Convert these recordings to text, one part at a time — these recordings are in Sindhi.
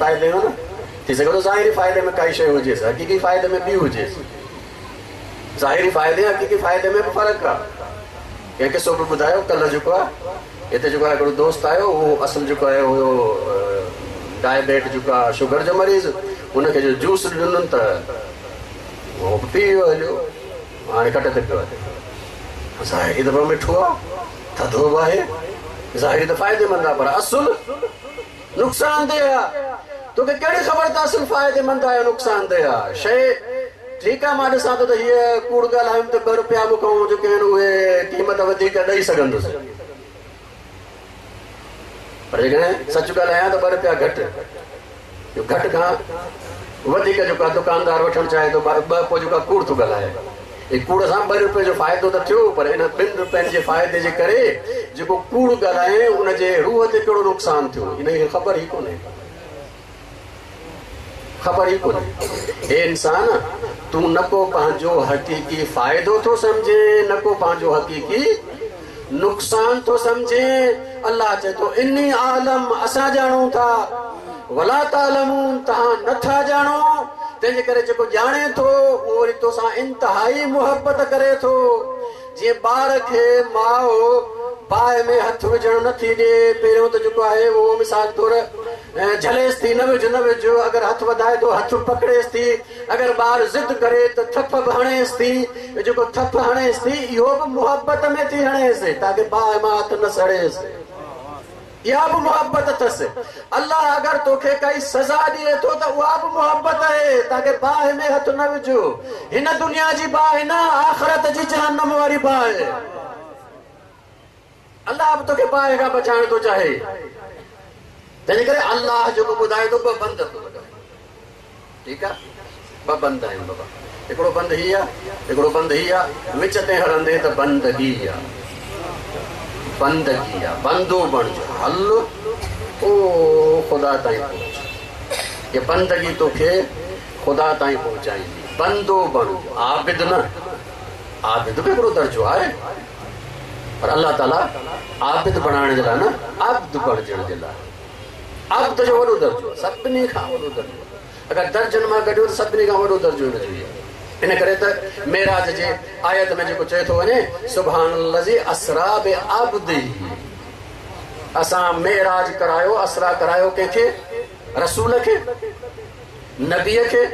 فائدي جو نه ٿي سگهي ٿو ظاهري فائدي ۾ ڪائي شيء هجيس، حقيقي فائدي ۾ ٻي هجيس. ظاهري فائدي ۽ حقيقي فائدي ۾ به فرق آهي. ڪنهن قصو به ٻڌايو ڪلهه جيڪو آهي هتي جيڪو آهي هڪڙو دوست آيو اهو اصل جيڪو آهي هيو ڊائبيٽ جيڪو آهي شگر جو مريض ان کي جو جوس ڏنن ته اهو به پي ويو هليو هاڻي کٽ تي پيو آهي. ظاهري ته به مٺو آهي ٿڌو به آهي ظاهري ته فائديمند آهي پر اصل نقصان ده آ. توکي ڪهڙي خبر ته اصل فائديمند آ يا نقصان ده آ. شيء ٺيڪ آ مان ڏسان ٿو ته هيء ڪوڙ ڳالهايم ته ٻه روپيا مون کان جيڪي آهن اهي قيمت وڌيڪ ڏئي سگهندس. پر جيڪڏهن سچ ڳالهايان ته ٻه روپيا گهٽ. جو گهٽ کان وڌيڪ جيڪو آ دڪاندار وٺڻ چاهي ٿو ٻه پوء جيڪو آ ڪوڙ ٿو ڳالهائي. هي ڪوڙ سان ٻه روپين جو فائدو ته ٿيو پر ان ٻن روپين جي فائدي جي ڪري جيڪو ڪوڙ ڳالهايائين ان جي روح تي ڪهڙو نقصان ٿيو انهي کي خبر ئي ڪونهي. خبر ئي ڪونهي. اي انسان! تون نه ڪو پنهنجو حقيقي فائدو ٿو سمجهين نه ڪو پنهنجو حقيقي نقصان ٿو سمجهين. الله چئي ٿو اني اعلم اسان ڄاڻون ٿا ولا تعلمون توهان نه ٿا ڄاڻو. تنهن جي ڪري جيڪو ڄاڻي ٿو اهو وري توسان انتهائي محبت ڪري ٿو. جيئن ٻار کي ماء باهه ۾ هٿ وجهڻ نه ٿي ڏي، پهريون ته جيڪو آهي اهو مثال طور جهليس ٿي نه وجهه نه وجهه، اگر هٿ وڌائي ٿو هٿ پڪڙيس ٿي، اگر ٻار ضد ڪري ته ٿڦ به هڻيس ٿي، جيڪو ٿڦ هڻيس ٿي اهو به محبت ۾ ٿي هڻيس تاڪه باهه مان هٿ نه سڙيس. اها به محبت اٿس. الله اگر توکي ڪائي سزا ڏئي ٿو ته اها به محبت آهي تاڪه باهه ۾ هٿ نه وجهه. هن دنيا جي باهه نه آخرت جي جهنم واري باهه. الله به توکي باهه کان بچائڻ ٿو چاهي. تنهنجي ڪري الله جيڪو ٻڌائي ٿو ٻه بند ٿو لڳائي. ٺيڪ آ ٻه بند آهن بابا هڪڙو بند هي آ هڪڙو بند هي آ وچ تي هلندي ته بندگي آ بندگي آ بندو بڻج هل او خدا تائين پهچ هي بندگي توکي خدا تائين پهچائيندي بندو بڻج عابد نه عابد به هڪڙو درجو آهي پر الله تعالي عابد بڻائڻ جي لاء نه عبد بڻجڻ جي لاء عبد جو وڏو درجو آهي، سڀني کان وڏو درجو آهي. اگر درجن مان ڪڍيو ته سڀني کان وڏو درجو ان جو ئي آهي. ان ڪري ته معراج جي آيت ۾ جيڪو چئي ٿو وڃي، سبحان الذي اسريٰ بعبده اسان معراج ڪرايو، اسريٰ ڪرايو ڪنهن کي؟ رسول کي، نبيء کي،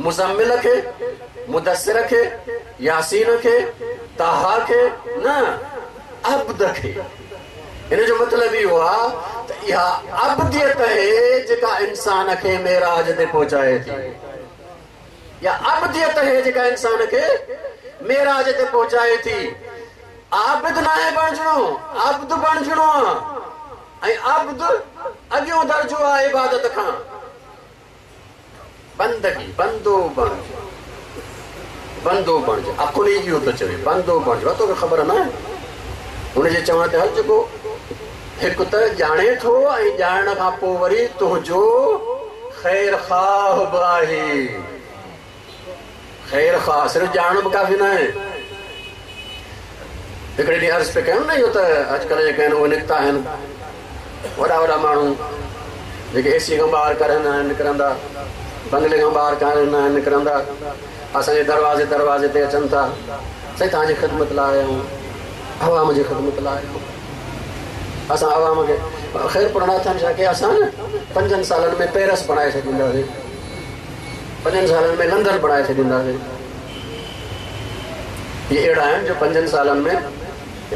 مزمل کي، مدثر کي، ياسين کي، طٰها کي، نه، عبد کي. ان جو مطلب اهو آ ته اها عبديت آهي جيڪا انسان کي معراج تي پهچائي ٿي. اها عبديت آهي جيڪا انسان کي معراج تي پهچائي ٿي. عابد ناهي بڻجڻو، عبد بڻجڻو آ ۽ عبد اڳيون درجو آ عبادت کان. بندگي، بندو بڻج، بندو بڻج، عقل ئي اهو ٿو چوي، بندو بڻج، وا توکي خبر ناهي؟ هن جي چوڻ تي هل جيڪو هڪ ته ڄاڻي ٿو ۽ ڄاڻڻ کان پوء وري تنهنجو خير خواهه به آهي. خير خواهه صرف ڄاڻڻ به ڪافي ناهي. هڪڙي ڏينهن عرض پئي ڪيم نه اهو ته اڄڪلهه جيڪي آهن اهي نڪتا آهن وڏا وڏا ماڻهو جيڪي اي سي کان ٻاهر ڪڏهن ناهن نڪرندا، بنگلي کان ٻاهر ڪڏهن ناهن نڪرندا، اسان جي دروازي دروازي تي اچن ٿا، سائين توهان جي خدمت لاء آيا آهيون، عوام جي خدمت لاء آيا آهيون. اسان عوام کي خيرپور ناٿن شاهه کي اسان پنجن سالن ۾ پيرس بڻائي ڇڏينداسين. پنجن سالن ۾ لندن بڻائي ڇڏينداسين. اهي اهڙا آهن جو پنجن سالن ۾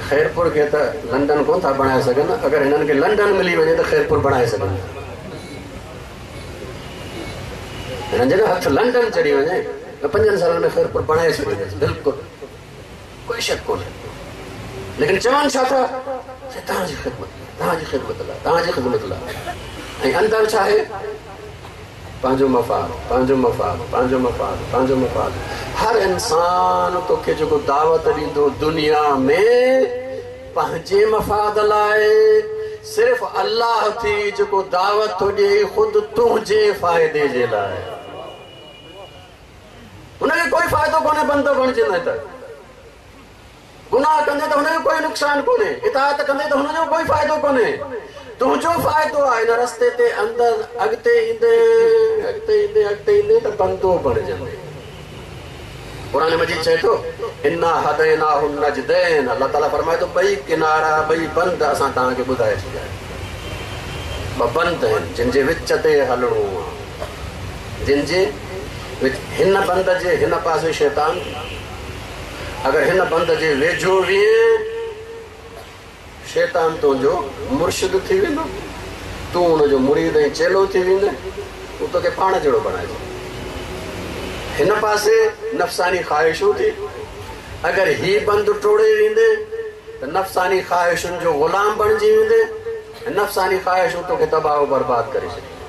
خيرپور کي ته لنڊن ڪونه ٿا بڻائي سگهن، اگر هنن کي لنڊن ملي وڃي ته خيرپور بڻائي سگهن ٿا. هنن جي هٿ لنڊن چڙهي وڃي ته پنجن سالن ۾ خيرپور بڻائي ڇڏيندس، بلڪل ڪوئي شڪ ڪونهي. ليڪن چون ڇا ٿا؟ توهان جي خدمت لاء، توهان جي خدمت لاء، توهان جي خدمت لاء. ۽ اندر ڇا آهي؟ پنهنجو مفاد، پنهنجو مفاد، پنهنجو مفاد، پنهنجو مفاد. هر انسان توکي جيڪو دعوت ڏيندو دنيا ۾ پنهنجي مفاد لاء، صرف الله ٿي جيڪو دعوت ٿو ڏئي خود تنهنجي فائدي جي لاء. هن کي ڪوئي فائدو ڪونهي بندو بڻجندين ته. گناهه ڪندين ته هن جو ڪوئي نقصان ڪونهي، اطاعت ڪندين ته هن جو ڪوئي فائدو ڪونهي. تنهنجو فائدو آهي هن رستي تي اندر اڳتي ايندي اڳتي ايندي اڳتي ايندي ته بندو بڻجندي. قرآن مجيد چئي ٿو، انا هديناه النجدين الله تعالي فرمائي ٿو ٻئي ڪنارا ٻئي بند اسان توهان کي ٻڌائي ڇڏيا آهن. ٻه بند آهن جن جي وچ تي هلڻو آهي. جن جي وچ هن بند جي هن پاسي شيطان ٿي اگر هن بند جي ويجهو وئين شيطان تنهنجو مرشد ٿي ويندو، تون ان جو مريد ۽ چيلو ٿي ويندين، هو توکي پاڻ جهڙو بڻائي ڇڏيندو. هن پاسي نفساني خواهشون ٿي، اگر هي بند ٽوڙي ويندين ته نفساني خواهشن جو غلام بڻجي ويندين ۽ نفساني خواهشون توکي تباهه و برباد ڪري ڇڏينديون.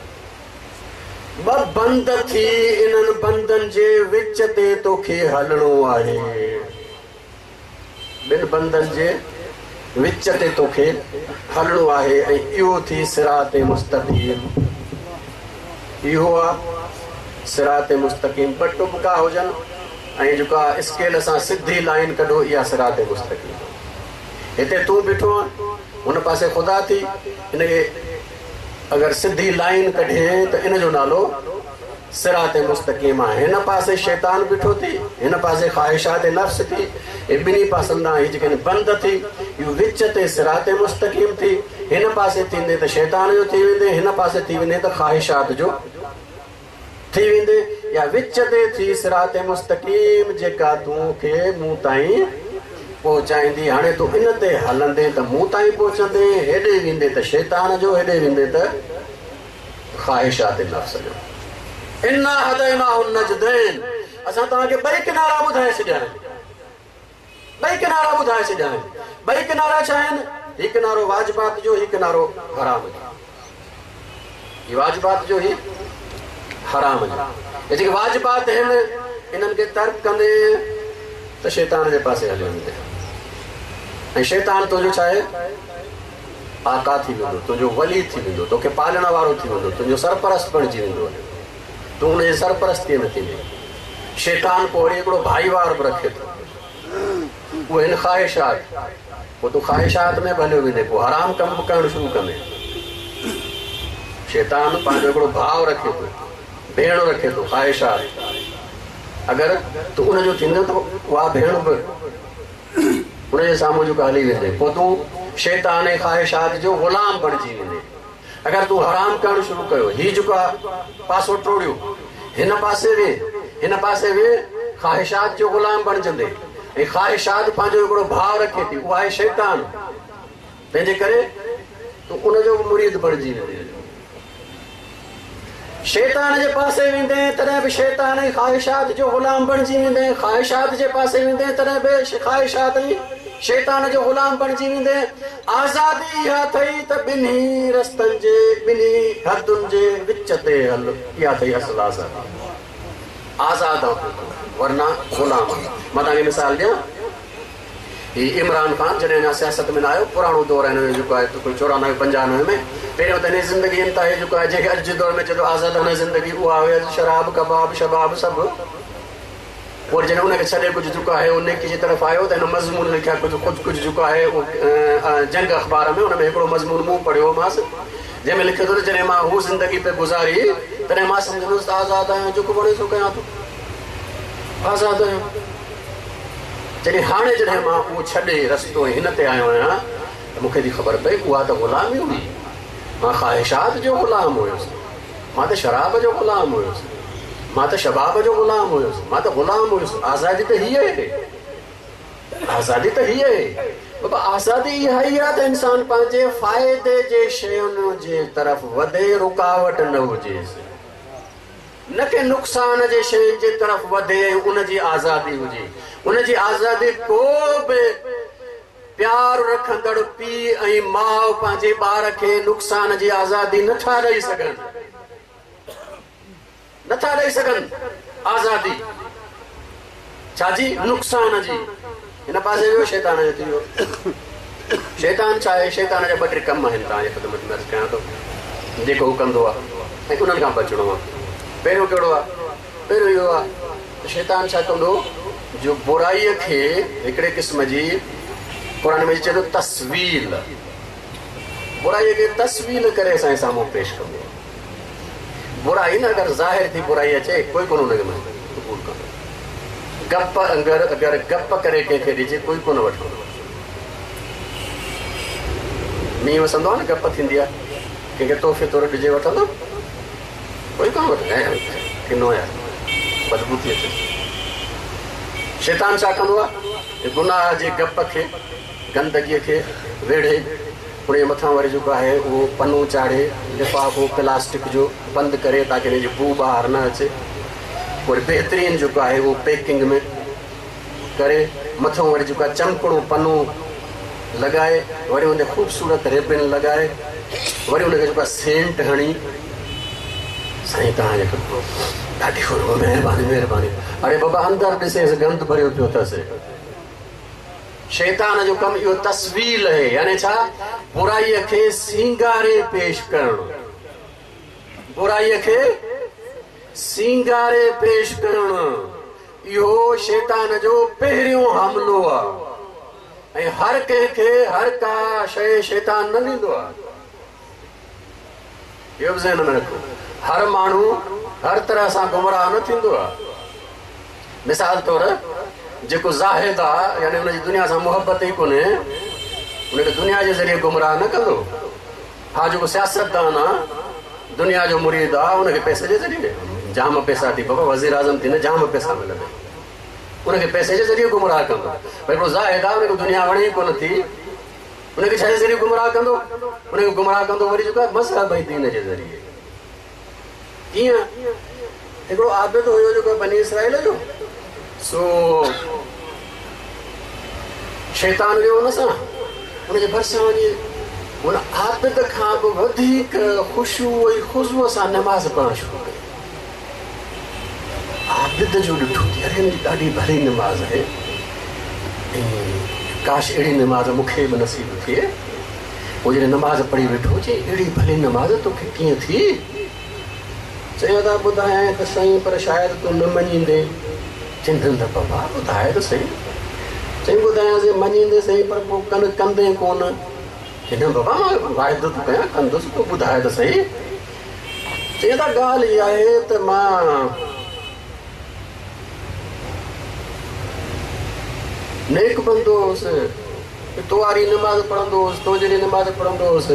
ٻه بند ٿي، انهن بندن جي وچ تي توکي هلڻو آهي. ٻن بندن جي وچ تي توکي هلڻو آهي ۽ اهو ٿي صراط مستقيم. اهو آ صراط مستقيم. ٻه ٽٻڪا هجن ۽ جيڪا اسڪيل سان سڌي لائين ڪڍو اها صراط مستقيم آ. هتي تون بيٺو آن هن پاسي خدا ٿي ان کي اگر سڌي لائين ڪڍين ته ان جو نالو صراط مستقيم آ. هن پاسي شيطان بيٺو ٿي، هن پاسي خواهشات نفس ٿي، هي ٻنهي پاسن ڏانهن هي جيڪڏهن بند ٿي، اهو وچ تي صراط مستقيم ٿي، هن پاسي ٿيندين ته شيطان جو ٿي ويندين، هن پاسي ٿي ويندين ته خواهشات جو ٿي ويندين، يا وچ تي ٿي صراط مستقيم جيڪا تون کي مون تائين پهچائيندي، هاڻي تون ان تي هلندين ته مون تائين پهچندين، هيڏي ويندين ته شيطان جو، هيڏي ويندين ته. خواهشات نفس جو. انا هديناه النجدين اسان توهان کي ٻئي ڪنارا ٻڌائي ڇڏيا آهن. ٻئي ڪنارا ٻڌائي ڇڏيا آهن. ٻئي ڪنارا ڇا آهن؟ هي ڪنارو واجبات جو، هي ڪنارو حرام جو. هي واجبات جو، هي حرام جو. هي جيڪي واجبات آهن انهن کي ترڪ ڪندي ته شيطان جي پاسي هليو ويندين ۽ شيطان تنهنجو ڇا آهي؟ آقا ٿي ويندو، تنهنجو ولي ٿي ويندو، توکي پالڻ وارو ٿي ويندو، تنهنجو سرپرست بڻجي ويندو، تون ان جي سرپرستيء ۾ ٿيندين. شيطان پوء وري هڪڙو ڀائيوار به رکي ٿو، اهي آهن خواهشات، پوء تون خواهشات ۾ به هليو ويندين، پوء حرام ڪم به ڪرڻ شروع ڪندين. شيطان پنهنجو هڪڙو ڀاء رکي ٿو، ڀيڻ رکي ٿو، خواهشات، اگر تون ان جو ٿيندين ته اها ڀيڻ به. ان جي سامهون جيڪو هلي ويندين پوء تون شيطان ۽ خواهشات جو غلام بڻجي ويندين. اگر تون حرام ڪرڻ شروع ڪيو، هي جيڪو آ پاسو ٽوڙيو، هن پاسي وي، هن پاسي وي، خواهشات جو غلام بڻجندين ۽ خواهشات پنهنجو هڪڙو ڀاء رکي ٿي، اهو آهي شيطان، تنهنجي ڪري تون ان جو به مريد بڻجي ويندين. شيطان جي پاسي ويندين تڏهن به شيطان ۽ خواهشات جو غلام بڻجي ويندين، خواهشات جي پاسي ويندين تڏهن به خواهشات ۽ شيطان جو غلام بڻجي ويندين. آزادي اها اٿئي ته ٻنهي رستن جي، ٻنهي حدن جي وچ تي هل، اها اٿئي اصل آزادي. آزاد آن تون، ورنه غلام آن. مان توهان کي مثال ڏيان. هي عمران خان جڏهن اڃا سياست ۾ نه آيو، پراڻو دور هن جو جيڪو آهي ته 94 95 ۾ پهريون ته هن جي زندگي انتهائي جيڪو آهي جنهن کي اڄ جي دور ۾ چئجو آزادانه زندگي اها هئي اڄ شراب ڪباب شباب سڀ پوء جڏهن ان کي ڇڏي ڪجهه جيڪو آهي اهو نيڪي جي طرف آيو ته هن مضمون لکيا ڪجهه خود ڪجهه جيڪو آهي اهو جنگ اخبار ۾ ان ۾ هڪڙو مضمون مون پڙهيو هومانس جنهن ۾ لکيو ته جڏهن مان هو زندگي پئي گذاري تڏهن مان سمجهندو هوس ته آزاد آهيان جيڪو وڻي سو ڪيان ٿو آزاد آهيان جڏهن هاڻي جڏهن مان اهو ڇڏي رستو ۽ هن تي آيو آهيان ته مون کي ٿي خبر پئي اها ته غلامي هئي. مان خواهشات جو غلام هيس. مان ته شراب جو غلام هيس. مان ته شباب جو غلام هيس. مان ته غلام هيس. آزادي ته هيء آهي. آزادي ته هيء آهي. بابا آزادي اها ئي آهي ته انسان پنهنجي فائدي جي شين جي طرف وڌي رڪاوٽ نه هجيس. نه ڪنهن نقصان جي شين جي طرف وڌي ۽ ان جي آزادي هجي. ان جي آزادي ڪو به پيار رکندڙ پيء ۽ ماء پنهنجي ٻار کي نقصان جي آزادي نه ٿا ڏئي سگهن. نه ٿا ڏئي سگهن آزادي ڇا جي؟ نقصان جي. هن پاسي ويو شيطان جو ٿي ويو. شيطان ڇا آهي؟ شيطان جا ٻه ٽي ڪم آهن توهان جي خدمت ۾ عرض ڪيان ٿو جيڪو هو ڪندو آهي ۽ انهن کان بچڻو آهي. پهريون ڪهڙو آهي؟ پهريون اهو آهي ته شيطان ڇا ڪندو جو برائيء کي هڪڙي قسم جي قرآن ۾ چئي ٿو تسويل برائيء کي تسويل ڪري اسان جي سامهون پيش ڪندو آهي. برائي نه اگر ظاهر ٿي برائي اچي ڪوئي ڪونه ان کي مڃندو قبول ڪندو. گپ انگر اگر گپ ڪري ڪنهن کي ڏجي ڪوئي ڪونه وٺندو. مينهن وسندو آهي نه گپ ٿيندي آهي ڪنهن کي تحفي طور ڏجي وٺندو؟ ڪوئي ڪونه وٺندو. ڪنو آهي بدبو ٿي اچي. شيطان ڇا ڪندو آهي گناهه جي گپ کي گندگيء کي ويڙهي ان جي مٿان وري جيڪو آهي اهو پنو چاڙهي لفافو پلاسٽڪ جو بند ڪري تاڪه ان جي بوء ٻاهر نه اچي وري بهترين جيڪو آهي اهو پيڪنگ ۾ ڪري مٿان وري جيڪو آهي چمڪڻو پنو لڳائي وري ان تي خوبصورت ربن لڳائي وري ان کي جيڪو آهي سينٽ هڻي سائين توهان جي ڏاڍي مهرباني مهرباني اڙي بابا اندر ڏسيس گند ڀريو پيو اٿس. شيطان جو ڪم اهو تسويل اهي يعني ڇا؟ برائيء کي سينگاري پيش ڪرڻ. برائيء کي سينگاري پيش ڪرڻ اهو شيطان جو پهريون حملو آهي ۽ هر ڪنهن کي هر ڪا شيء شيطان نه ڏيندو آهي. اهو به ذهن ۾ رکو هر ماڻهو هر طرح سان گمراهه نه ٿيندو آهي. مثال طور جيڪو زاهد آ يعني ان جي دنيا سان محبت ئي ڪونهي ان کي دنيا جي ذريعي گمراهه نه ڪندو. ها جيڪو سياستدان آ دنيا جو مريد آ ان کي پئسي جي ذريعي جام پئسا ٿي بابا وزير اعظم ٿي نه جام پئسا ملندئي ان کي پئسي جي ذريعي گمراهه ڪندو. پر هڪڙو زاهد آ ان کي دنيا وڻي ئي ڪونه ٿي ان کي ڇا جي ذريعي گمراهه ڪندو؟ ان کي گمراهه ڪندو وري جيڪو آهي مذهب ۽ دين جي ذريعي. ڪيئن؟ هڪڙو عابد هيو جيڪو بني اسرائيل جو، سو شيطان ويو ان سان، ان جي ڀرسان وڃي هن عابد کان به وڌيڪ خشوع ۽ خضوع سان نماز پڙهڻ شروع ڪئي. عابد جو ڏٺو ته يار هن جي ڏاڍي ڀلي نماز آهي ۽ ڪاش اهڙي نماز مون کي به نصيب ٿئي. پوء جڏهن نماز پڙهي ويٺو چي اهڙي ڀلي نماز توکي ڪيئن ٿي؟ چيو ادا ٻڌايانء ته سهي پر شايد تون نه مڃيندين. چي نه نه بابا ٻڌاء ته سهي. چئي ٻڌايانس مڃيندين سهي پر پوء ڪن ڪندين ڪونه. چي نه بابا مان واعدو ٿو ڪيان ڪندس تون ٻڌاء ته سهي. چي ادا ڳالهه اها آهي ته مان نيڪ بندو هوس، تو واري نماز پڙهندو هوس، تو جهڙي نماز پڙهندو هوس.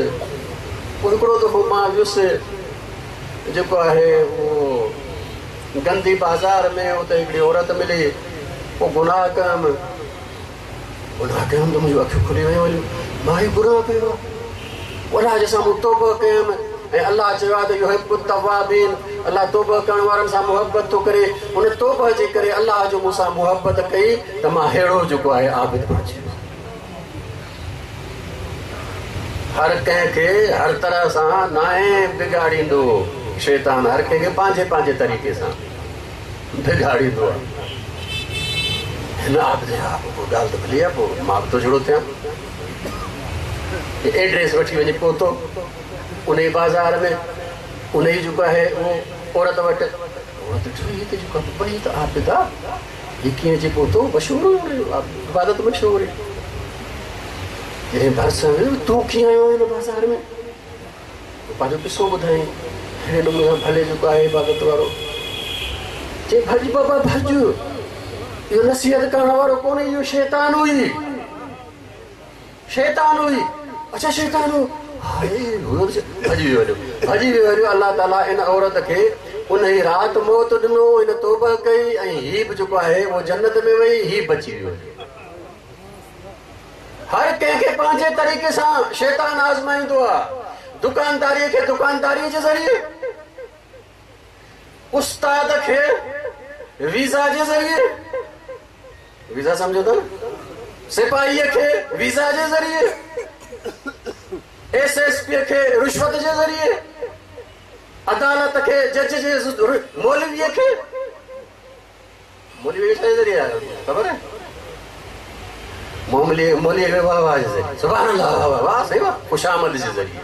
پوء هڪڙو دفعو مان ويس جيڪو آهي اهو گندي بازار ۾ اتي هڪڙي عورت ملي، پوء گناهه ڪيم. گناهه ڪيم ته منهنجون اکيون کلي ويون هليون، مان هي گناهه ڪيو آهي. الله جي سامهون توبه ڪيم ۽ الله چيو آهي ته يحب التوابين الله توبه ڪرڻ وارن سان محبت ٿو ڪري. ان توبه جي ڪري الله جو مون سان محبت ڪئي ته مان ههڙو جيڪو آهي عابد بڻجي ويس. هر ڪنهن کي هر طرح سان ناهي بگاڙيندو شيطان، هر ڪنهن کي پنهنجي پنهنجي طريقي سان بگاڙيندو آهي. هن عابد چيو ها پوء ڳالهه ته ڀلي آهي پوء مان به تو جهڙو ٿيان. ايڊريس وٺي وڃي پهتو انهي بازار ۾ انهي جيڪو آهي اهو عورت وٽ. عورت ڏٺو هي ته جيڪو آهي بابا هي ته عابد آهي هي ڪيئن اچي پهتو مشهور هيو هن جو عبادت مشهور هئي. جڏهن ڀرسان ويو تون ڪيئن آيو آهين هن بازار ۾؟ پنهنجو قصو ٻڌايائين ههڙي نموني سان ڀلي جيڪو آهي عبادت وارو. چي ڀڄ بابا ڀڄ اهو نصيحت ڪرڻ وارو ڪونهي اهو شيطان هئي. شيطان هئي. اڇا شيطان هو. هاء ڀڄي ويو هليو ڀڄي ويو هليو الله تعالي ان عورت کي انهي رات موت ڏنو هن توبه ڪئي ۽ هي به جيڪو آهي اهو جنت ۾ وئي هي بچي ويو هليو. هر ڪنهن کي پنهنجي طريقي سان شيطان آزمائيندو آهي دڪانداري کي دڪانداري جي ذريعي استاد کي ويزا جي ذريعي ويزا سمجهو ٿا نه سپاهي کي ويزا جي ذريعي ايس ايس پي کي رشوت جي ذريعي عدالت کي جج جي مولوي کي مولوي کي ڇا جي ذريعي آيو خبر آهي مولوي مولوي کي واه واه جي ذريعي سبحان الله واه واه واه صحيح واه خوشامد جي ذريعي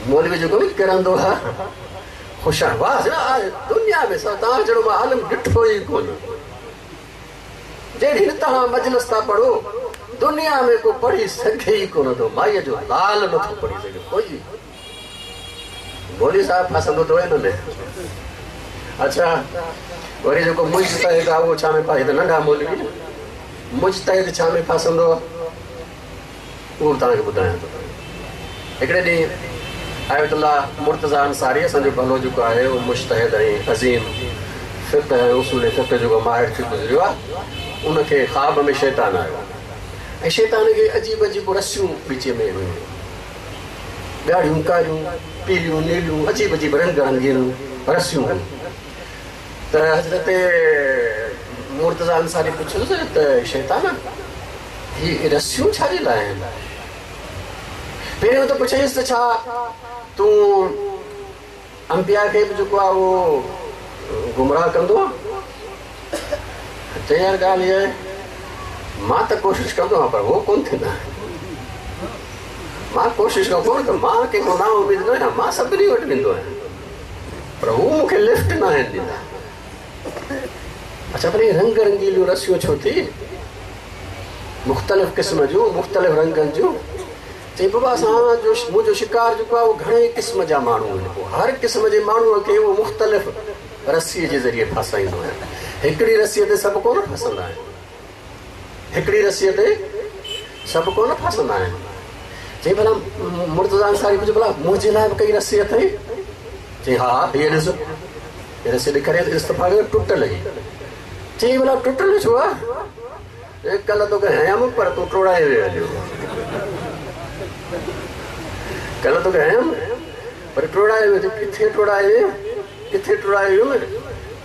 مولوي جيڪو به ڪرندو آهي خوشا واه دنيا ۾ توهان جهڙو مان عالم ڏٺو ئي ڪونه جهڙي نه توهان مجلس ٿا پڙهو दुनिया में को पढ़ी सघे ई कोन थो, माईअ जो लाल नथो पढ़ी सघे कोई। मौलवी साहिबु फसंदो थो हिन में। अच्छा वरी जेको मुज्तहिद आहे उहो छा में फासे? त नंढा मौलवी मुज्तहिद छा में फसंदो आहे उहो बि तव्हांखे ॿुधायां थो। हिकिड़े ॾींहुं आयतुल्लाह मुर्तज़ा अंसारी असांजो भलो जेको आहे उहो मुज्तहिद ऐं अज़ीम फ़िक़्ह ऐं उसूल फ़िक़्ह जेको माहिर थी गुज़रियो आहे, उनखे ख़्वाब में शैतान आयो ऐं शैतान खे अजीब अजीब रसियूं ॻिचे में हुयूं, ॻाढ़ियूं कारियूं पीलियूं नीलियूं अजीब अजीब रंग रंगीन रसियूं हुयूं। त हज़रत मुर्तज़ा अंसारी पुछियोसि त शैतान ही रसियूं छा जे लाइ आहिनि? पहिरियों त पुछयईंसि त छा तूं अंबिया खे बि जेको आहे उहो गुमराह कंदो आहे? चई यार ॻाल्हि इहा आहे मां त कोशिशि कंदो आहियाँ पर उहो कोन थींदा आहिनि। मां कोशिशि कंदो कोन, मां कंहिंखां ना उमेद न आहियाँ, मां सभिनी वटि वेंदो आहियाँ पर हू मूंखे लिफ्ट न आहिनि ॾींदा। अच्छा पर रंग रंगीलियूं रसियूं छो थी? मुख़्तलिफ़ क़िस्म जूं मुख़्तलिफ़ रंगनि जूं। चई बाबा असांजो मुंहिंजो शिकार जेको आहे उहो घणे क़िस्म जा माण्हू आहिनि, पोइ हर क़िस्म जे माण्हूअ खे उहो मुख़्तलिफ़ रसीअ जे ज़रिए फासाईंदो आहियाँ। हिकिड़ी रसीअ ते सभु कोन फसंदा आहिनि, हिकिड़ी रसीअ ते सभु कोन फसंदा आहिनि। चई भला मुर्तज़ा अंसारी पुछियो भला मुंहिंजे लाइ बि कई रसी अथई? चई हा हीअ ॾिस, हीअ रसी ॾेखारे इस्तिफ़ा कयो टुटल हुई। चई भला टुटल छो आहे? कल्ह तोखे हयमि पर तूं टोड़ाए वियो हलियो, कल्ह तोखे हयमि पर टोड़ाए वियो। किथे टोड़ाए वियो? किथे टोड़ाए वियो?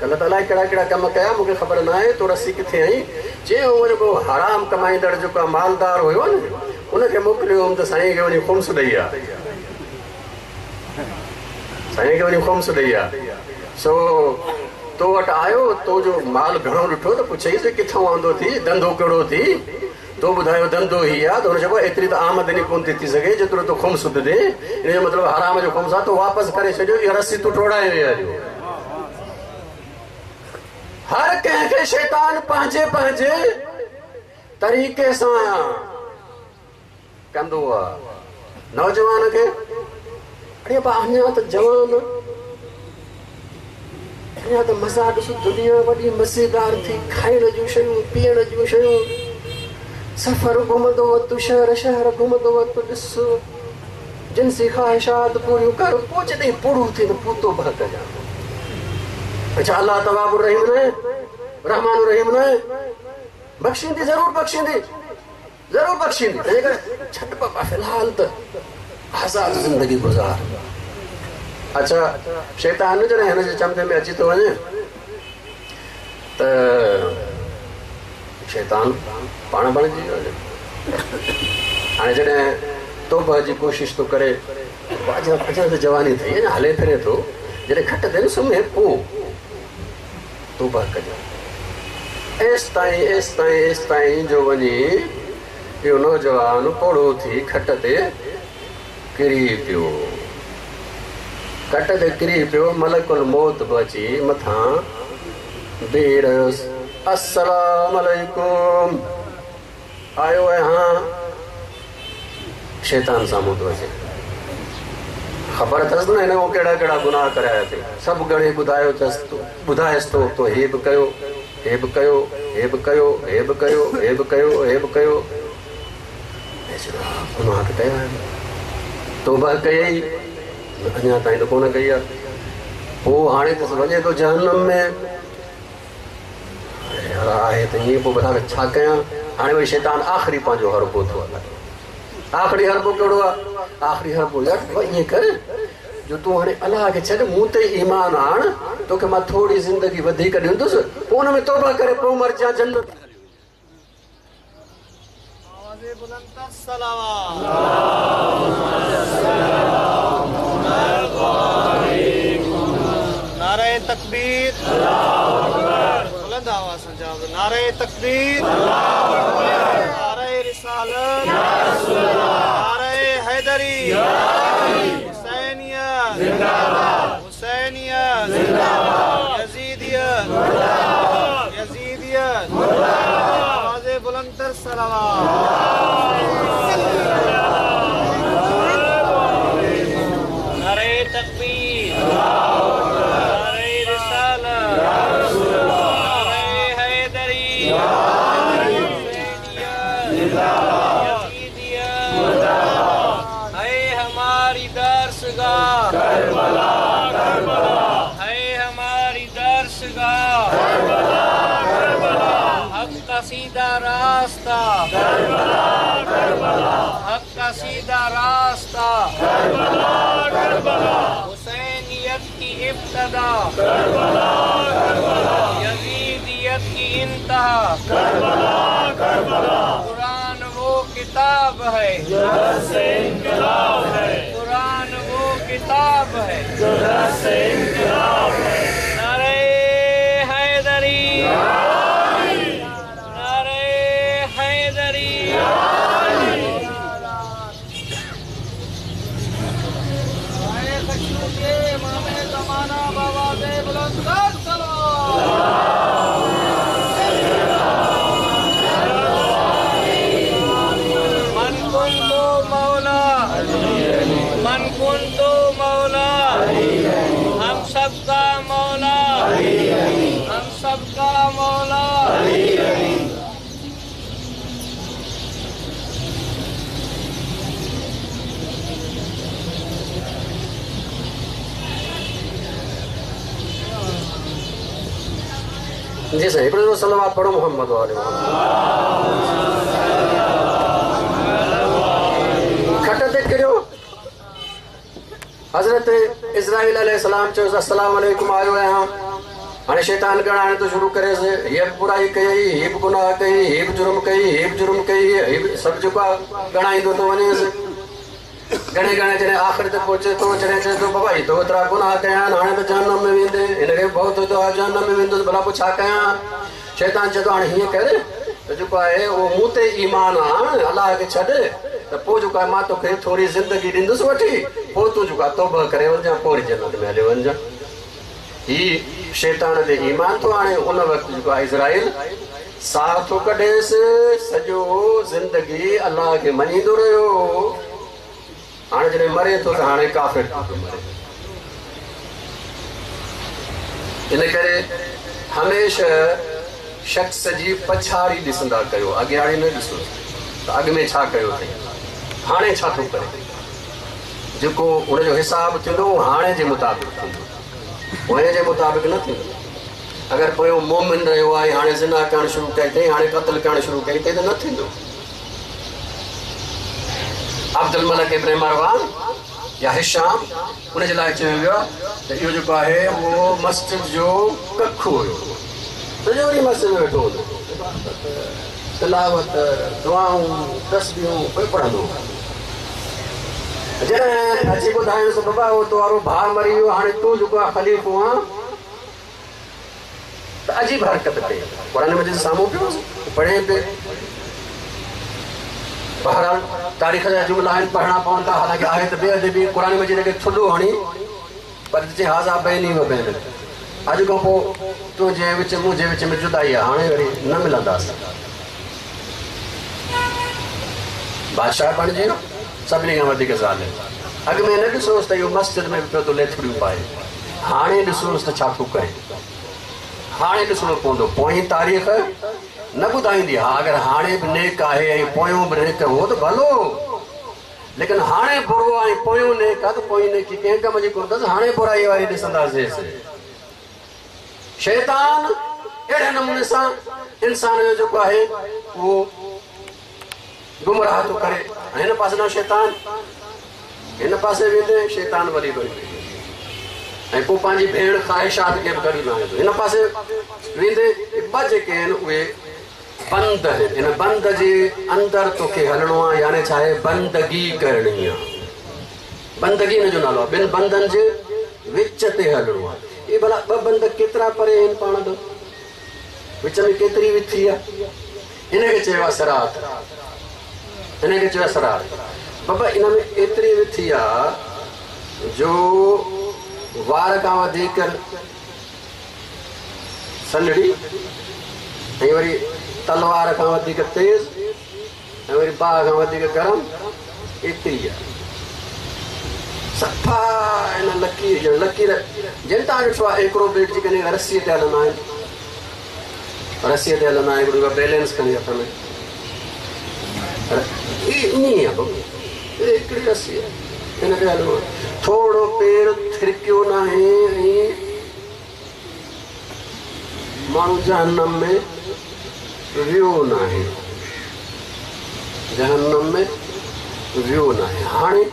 कल्ह त अलाए कहिड़ा कहिड़ा कम कया मूंखे ख़बर न आहे, तूं रसी किथे आई? चई उहो जेको हराम कमाईंदड़ जेको मालदार हुयो न उनखे मोकिलियो हुउमि त साईं खे वञी ख़ुम्स ॾेई आहे, साईं खे वञी ख़ुम्स ॾेई आहे। सो तो वटि आयो, तो जो माल घणो ॾिठो त पुछईंसि किथां आंदो थी, धंधो कहिड़ो थी? तो ॿुधायो धंधो ही आहे। त हुन चयो एतिरी त आमदनी कोन थी थी सघे जेतिरो तूं ख़ुम्स थो ॾे, इन जो मतिलबु हराम जो ख़ुम्स आहे, तूं वापसि करे छॾियो, इहा रसी तूं टोड़ाए वियो हलियो। हर कंहिंखे शैतान पंहिंजे पंहिंजे तरीक़े सां कंदो आहे। नौजवान खे अरे बा अञा त जवान, अञा त मज़ा ॾिस, दुनिया वॾी मज़ेदार थी, खाइण जूं शयूं पीअण जूं शयूं, सफ़र घुमंदो वतु, शहर शहर घुमंदो वतु, ॾिस जिनसी ख़्वाहिशात पूरियूं कर, पोइ जॾहिं पूरो थिए त पोइ तौबा कजांइ। अच्छा अल्लाह तवाबुर रहीम न, रहमान रहीम न, बख़्शींदी ज़रूरु बख़्शींदी, ज़रूरु बख़्शींदी। तंहिंजे करे छॾ बाबा फ़िलहाल त आज़ाद ज़िंदगी गुज़ार। अच्छा शैतान जॾहिं हिन जे चमचे में अची थो वञे त शैतान पाण बणिजी वञे। हाणे जॾहिं तौबा जी कोशिशि थो करे, अञा अञा त जवानी अथई, अञा हले फिरे थो, जॾहिं खट ते सुम्हे पोइ तौबा कजांइ। एसि ताईं एसि ताईं एसि ताईं जो वञी इहो नौजवान पोड़ो थी खट ते किरी पियो, खट ते किरी पियो, मलकुल मौत बि अची मथां बीह रहियोसि। अस्सलाम अलैकुम, आयो आहियाँ। शैतान साम्हूं थो अचे, ख़बर अथसि न हिन खां कहिड़ा कहिड़ा गुनाह कराया अथई, सभु ॻणे ॿुधायो अथसि, ॿुधायसि थो, तो हे बि कयो, हे बि कयो, हे बि कयो, हे बि कयो, हे बि कयो, हे बि कयो, गुनाह त कया आहिनि, तौबा कयई अञा ताईं त कोन कई आहे। पोइ हाणे त वञे थो जहन्नम में, आहे त ईअं, पोइ भला छा कयां? हाणे वरी शैतान आख़िरी पंहिंजो हरबो थो हलाए। आख़िरी हरबो कहिड़ो आहे? आख़िरी हरबो यार ईअं कर जो तूं हाणे अलाह खे छॾ, मूं ते ईमान आण, तोखे मां थोरी ज़िंदगी वधीक ॾींदुसि, पोइ हुन में तौबा करे पोइ मरिजां जन्नत। नारे तकबीर, बुलंद आवाज़ सां जवाब, नारे तकबीर, नारे रिसालत, नारे हैदरी, हुसैनियत हुसैनियत, यजीदियत यजीदियत, आवाज़े बुलंद तर सलावत। सीधा रास्ता करबला करबला, हक का सीधा रास्ता करबला करबला, हुसैनियत की इब्तिदा करबला करबला, यजीदियत की इंतहा करबला करबला। कुरान वो किताब है जो दर्स इनकलाब है, कुरान वो किताब है जो दर्स इनकलाब है। नारे हैदरी, नारे हैदरी। इमाम ज़माना बाबा दे बुलंद सलाम। मन कुंतो मौला, मन कुंतो मौला, हम सबका मौला, हम सबका मौला। जी साईं, हिकिड़ो दफ़ो सलावत पढ़ो मोहम्मद वाले मोहम्मद। खट ते किरियो। हज़रत इस्राईल अलैहिस्सलाम चयो अस्सलाम वालेकुम आयो आहियां। हाणे शैतान ॻणाइण थो शुरू करेसि, हीअ बि बुराई कई, हीअ बि गुनाह कई, हीअ बि जुर्म कई, हीअ बि जुर्म कई, हीअ बि सभु जेको आहे ॻणाईंदो थो वञेसि। गणे गणे जॾहिं आख़िर ते पहुचे थो, जॾहिं चए थो बाबा हीअ त ओतिरा गुनाह कया आहिनि, हाणे त जहन्नम में वेंदे, हिनखे भउ थो आहे जहन्नम में वेंदुसि, भला पोइ छा कयां? शैतान चए थो हाणे हीअं कर त जेको आहे उहो मूं ते ईमान आण, अलाह खे छॾ, त पोइ जेको आहे मां तोखे थोरी ज़िंदगी ॾींदुसि वठी, पोइ तूं जेको आहे तौबा करे वञिजांइ, पोइ वरी जन्नत में हलियो वञिजांइ। हीअ शैतान ते ईमान थो आणे। उन वक़्तु जेको आहे इस्राईल साह थो कढेसि, सॼो ज़िंदगी अलाह खे मञींदो रहियो। हाणे जॾहिं मरे थो त हाणे काफ़िर थो मरे। इन करे हमेशह शख़्स जी पछाड़ी ॾिसंदा कयो, अॻियाड़ी न ॾिसो त अॻु में छा कयो अथई, हाणे छा थो करे। जेको हुनजो हिसाबु थींदो उहो हाणे जे मुताबिक़ थींदो, पोइ जे मुताबिक़ न थींदो। अगरि पोयों मोमिन रहियो आहे, हाणे ज़िना करणु शुरू कई अथई, हाणे क़तल करणु शुरू कई अथई त न थींदो। अब्दुल मलिक इब्न मरवान या हिशाम, उनजे लाइ चयो वियो आहे त इहो जेको आहे उहो मस्जिद जो कख हुयो, सॼो ॾींहुं मस्जिद में वेठो हूंदो, तिलावत, दुआऊं, तस्बीहूं पियो पढ़ंदो। जॾहिं अची ॿुधायुसि बाबा उहो तो वारो भाउ मरी वियो, हाणे तूं जेको आहे ख़लीफ़ो आहीं, त अजीब हरकत कई। क़ुरान मजीद साम्हूं पियो पढ़े पियो। बहरहाल तारीख़ जा जुमिला आहिनि, पढ़णा पवन था। हालांकि आहे त बेअदबी, क़ुरान मजीद खे थुॾो हणी, पर चए हाज़ा बैनी व बैन, अॼु खां पोइ तुंहिंजे विच मुंहिंजे विच में जुदाई आहे, हाणे वरी न मिलंदासीं। बादशाह बणिजी वियो, सभिनी खां वधीक ज़ालिम। अॻु में न ॾिसोसि त इहो मस्जिद में बि पियो थो लेथड़ियूं पाए, हाणे ॾिसोसि त छा थो करे, हाणे ॾिसणो पवंदो। पोईं तारीख़ न ॿुधाईंदी। हा, अगरि हाणे बि नेक आहे ऐं पोयों बि नेक हो त भलो, लेकिन हाणे बुरो आहे ऐं पोयों नेक आहे त पोईं नेकी कंहिं कम जी कोन अथसि, हाणे बुराई वारी ॾिसंदासीं। शैतान अहिड़े नमूने सां इंसान जो जेको आहे उहो गुमराह थो करे। हिन पासे न शैतान, हिन पासे वेंदे शैतान वरी वरी ऐं पोइ पंहिंजी भेण ख़्वाहिशात खे बि गॾु न हिन पासे वेंदे। ॿ जेके आहिनि उहे बंद आहिनि। इन बंद जे अंदरि तोखे हलणो आहे, यानी छा आहे, बंदगी करणी आहे। बंदगी हिन जो नालो आहे, ॿिनि बंदनि जे विच ते हलणो आहे। इहे भला ॿ बंद केतिरा परे आहिनि पाण खां, विच में केतिरी विथी आहे, हिनखे चइबो आहे सरात, हिनखे चइबो आहे सरात। बाबा इन में एतिरी विथी आहे जो वार खां वधीक सनड़ी ऐं वरी तलवार खां वधीक तेज़ ऐं वरी बाहि खां वधीक गरम, एतिरी आहे। सफ़ा हिन लकीर लकीर जंहिं तव्हां ॾिठो आहे, एक्रोबेट जी कंहिं रसीअ ते हलंदा आहिनि, रसीअ ते हलंदा आहिनि, हिकिड़ो बैलेंस खणी हथ में, ईअं आहे हिकिड़ी रसी आहे, हिन ते हलणो आहे। थोरो पेर थिरकियो न आहे ऐं माण्हू जहन्नम में ويو ناهي. جهنم ۾ ويو ناهي. هاڻي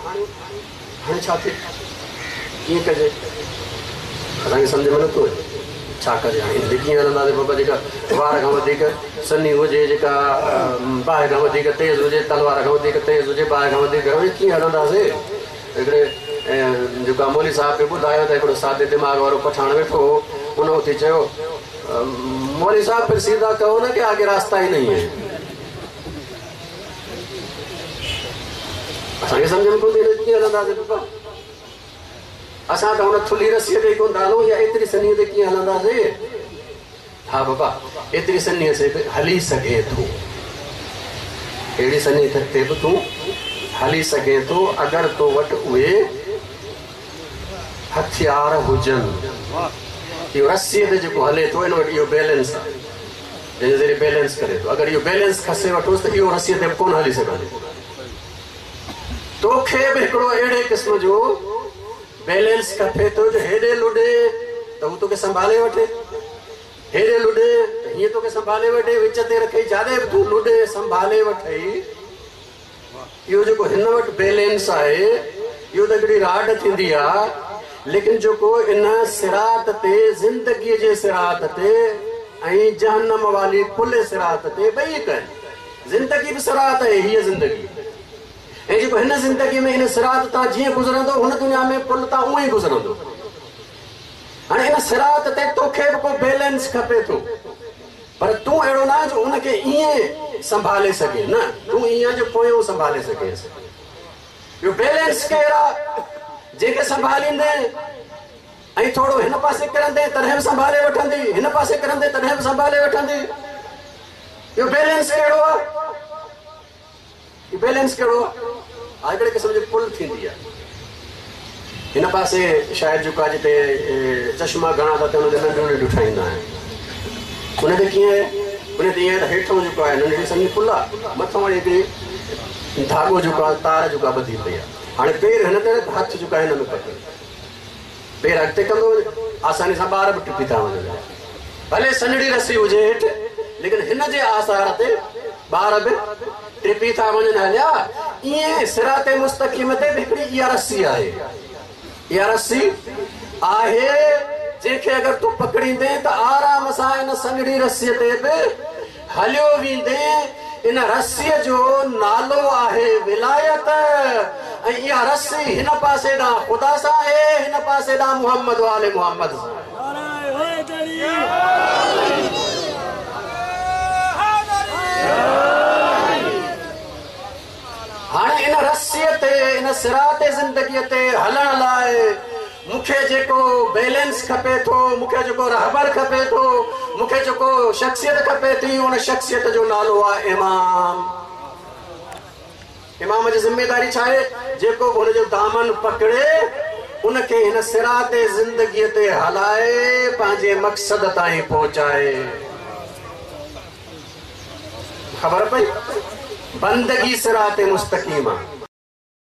هاڻي ڇا ٿئي؟ ڪيئن ڪجي؟ اسان کي سمجهه ۾ نٿو اچي ڇا ڪجي هاڻي. هن تي ڪيئن هلنداسين بابا؟ جيڪا وار کان وڌيڪ سنهي هجي، جيڪا باهه کان وڌيڪ تيز هجي، تلوار کان وڌيڪ تيز هجي، باهه کان وڌيڪ گرم هجي، ڪيئن هلنداسين؟ هڪڙي جيڪو آهي مولوي صاحب به ٻڌايو ته هڪڙو سادي دماغ وارو پٺاڻ ويٺو هو، ان اٿي چيو، مولوي صاحب پھر سيڌا ڪهو نه ڪه آگي راستا ئي نهين هي. اسان کي سمجهه ۾ ڪونه ٿي اچي ڪيئن هلنداسين بابا؟ اسان ته هن ٿلهي رسيء تي ئي ڪونه ٿا هلون، يا ايتري سنهيء تي ڪيئن هلنداسين؟ ها بابا، ايتري سنهيء تي به هلي سگهين ٿو. اهڙي سنهي تي به تون هلي سگهين ٿو اگر تو وٽ اهي هٿيار هجن. اهو رسيء تي جيڪو هلي ٿو ان وٽ اهو بيلنس آهي، جنهن جي ذريعي بيلنس ڪري ٿو. اگر اهو بيلنس کسي وٺوس ته اهو رسيء تي به ڪونه هلي سگهندو. توکي به هڪڙو اهڙي قسم جو بيلنس کپي ٿو جو هيڏي لڏي ته هو توکي سنڀالي وٺي، هيڏي لڏي ته هيئن توکي سنڀالي وٺي، وچ تي رکئي، جاڏي به تون لڏي سنڀالي وٺئي. اهو جيڪو هن وٽ بيلنس آهي اهو ته هڪڙي راڊ ٿيندي آ، ليڪن جيڪو ان صراط تي، زندگيء جي صراط تي ۽ جهنم والي پل صراط تي ٻئي هڪ آهن. زندگي به صراط آهي، هيء زندگي ۽ جيڪو هن زندگيء ۾ ان صراط تان جيئن گذرندو، هن دنيا ۾ پل تان اونئن ئي گذرندو. هاڻي ان صراط تي توکي به ڪو بيلنس کپي ٿو، پر تون اهڙو نه آهين جو ان کي ائين سنڀالي سگهين، نه، تون ائين آهين جو پويون سنڀالي سگهينس. اهو بيلنس ڪير آ جنهن کي سنڀاليندين ۽ ٿورو هن پاسي ڪرندين تڏهن به سنڀالي وٺندي، هن پاسي ڪرندين تڏهن به سنڀالي وٺندي. اهو بيلنس ڪهڙو آ؟ هي بيلنس ڪهڙو آ؟ هڪڙي قسم جي پل ٿيندي آ. هن پاسي شايد جيڪو آ جتي چشما گهڻا ٿا ٿين اتي ننڍيون ننڍيون ٺاهيندا آهن. ان تي ڪيئن آهي؟ ان تي ائين آهي ته هيٺئون جيڪو آهي ننڍڙي سنهي پل آ، مٿئون وري هڪڙي ڌاڳو جيڪو آ تار جيڪو آ ٻڌي پئي آ. هاڻي پير هن تي رک، هٿ جيڪو آهي هن ۾ پڪڙ. پير اڳتي ڪندو وڃ، آساني سان ٻار به ٽپي ٿا وڃن. ڀلي سنهڙي رسي هجي هيٺ، ليڪن هن جي آثار تي ٻار به ٽپي ٿا وڃن هليا. ائين صراط مستقيم تي به هڪڙي اها رسي آهي. اها رسي آهي، جنهن کي اگر تون پڪڙيندين ته آرام سان ان سنهڙي رسيء تي به هليو ويندين. ان رسيء جو نالو آهي ولايت ۽ اها رسي هن پاسي ڏانهن خدا سان آهي، هن پاسي ڏانهن محمد و آل محمد سان آهي. هاڻي ان رسيء تي، ان صراط زندگيء تي هلڻ لاء مون کي جيڪو بيلنس کپي ٿو، مون کي جيڪو رهبر کپي ٿو، مون کي جيڪو شخصيت کپي ٿي، ان شخصيت جو نالو آهي امام. امام جي ذميداري ڇا آهي؟ جيڪو به هن جو دامن پڪڙي، ان کي هن صراط زندگيء تي هلائي پنهنجي مقصد تائين پهچائي. خبر پئي؟ بندگي صراط مستقيم آ.